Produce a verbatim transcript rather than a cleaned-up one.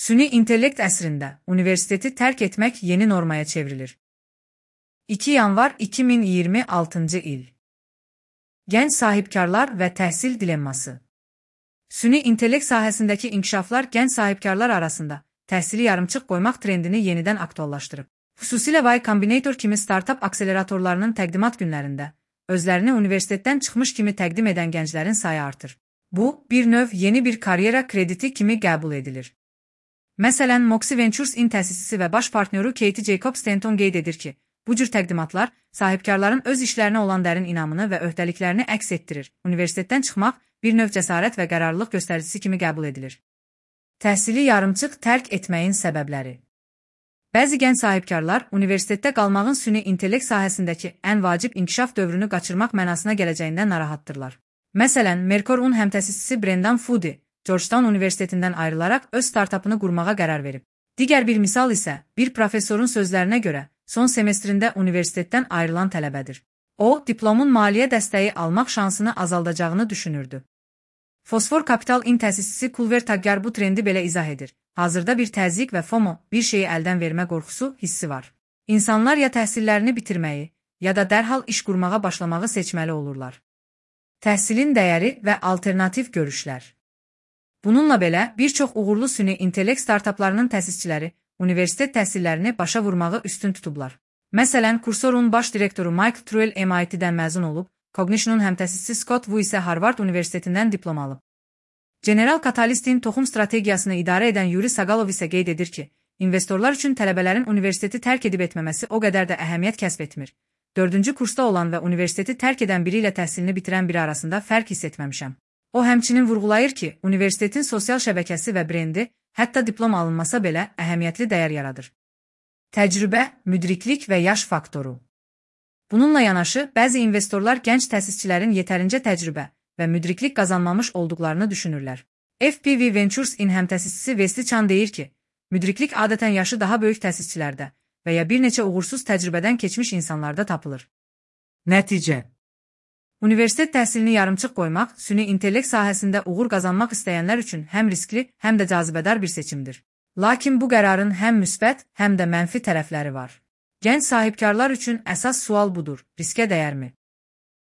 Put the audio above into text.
Süni intellekt əsrində universiteti tərk etmək yeni normaya çevrilir. iki yanvar iki min iyirmi altıncı il. Gənc sahibkarlar və təhsil dilemması. Süni intellekt sahəsindəki inkişaflar gənc sahibkarlar arasında təhsili yarımçıq qoymaq trendini yenidən aktuallaşdırıb. Xüsusilə Y Combinator kimi startup akseleratorlarının təqdimat günlərində özlərini universitetdən çıxmış kimi təqdim edən gənclərin sayı artır. Bu, bir növ yeni bir karyera krediti kimi qəbul edilir. Məsələn, Moxie Ventures-in təsisçisi və baş partnyoru Katie Jacob Stanton qeyd edir ki, bu cür təqdimatlar sahibkarların öz işlərinə olan dərin inamını və öhdəliklərini əks etdirir. Universitetdən çıxmaq bir növ cəsarət və qərarlılıq göstəricisi kimi qəbul edilir. Təhsili yarımçıq tərk etməyin səbəbləri. Bəzi gənc sahibkarlar universitetdə qalmağın süni intellekt sahəsindəki ən vacib inkişaf dövrünü qaçırmaq mənasına gələcəyindən narahatdırlar. Məsələn, Mercor-un həmtəsisçisi Brendan Foody, Georgetown Universitetindən ayrılaraq öz startupını qurmağa qərar verib. Digər bir misal isə bir professorun sözlərinə görə son semestrində universitetdən ayrılan tələbədir. O, diplomun maliyyə dəstəyi almaq şansını azaldacağını düşünürdü. Fosfor Capital-in təsisçisi Kulver Taggar bu trendi belə izah edir. Hazırda bir təzyiq və FOMO, bir şeyi əldən vermə qorxusu hissi var. İnsanlar ya təhsillərini bitirməyi, ya da dərhal iş qurmağa başlamağı seçməli olurlar. Təhsilin dəyəri və alternativ görüşlər. Bununla belə, bir çox uğurlu süni intellekt startuplarının təsisçiləri universitet təhsillərini başa vurmağı üstün tutublar. Məsələn, Cursor'un baş direktoru Michael Truel M I T'dən məzun olub, Cognition'un həmtəsisçisi Scott Wu isə Harvard Universitetindən diplom alıb. General Catalyst'in toxum strategiyasını idarə edən Yuri Sagalov isə qeyd edir ki, investorlar üçün tələbələrin universiteti tərk edib etməməsi o qədər də əhəmiyyət kəsb etmir. Dördüncü kursda olan və universiteti tərk edən biri ilə təhsilini bitirən biri arasında fərq hiss etməmişəm. O həmçinin vurğulayır ki, universitetin sosial şəbəkəsi və brendi, hətta diplom alınmasa belə əhəmiyyətli dəyər yaradır. Təcrübə, müdriklik və yaş faktoru. Bununla yanaşı, bəzi investorlar gənc təsisçilərin yetərincə təcrübə və müdriklik qazanmamış olduqlarını düşünürlər. F P V Ventures-in həmtəsisçisi Wesley Chan deyir ki, müdriklik adətən yaşı daha böyük təsisçilərdə və ya bir neçə uğursuz təcrübədən keçmiş insanlarda tapılır. Nəticə. Universitet təhsilini yarımçıq qoymaq, süni intellekt sahəsində uğur qazanmaq istəyənlər üçün həm riskli, həm də cazibədar bir seçimdir. Lakin bu qərarın həm müsbət, həm də mənfi tərəfləri var. Gənc sahibkarlar üçün əsas sual budur: riskə dəyərmi?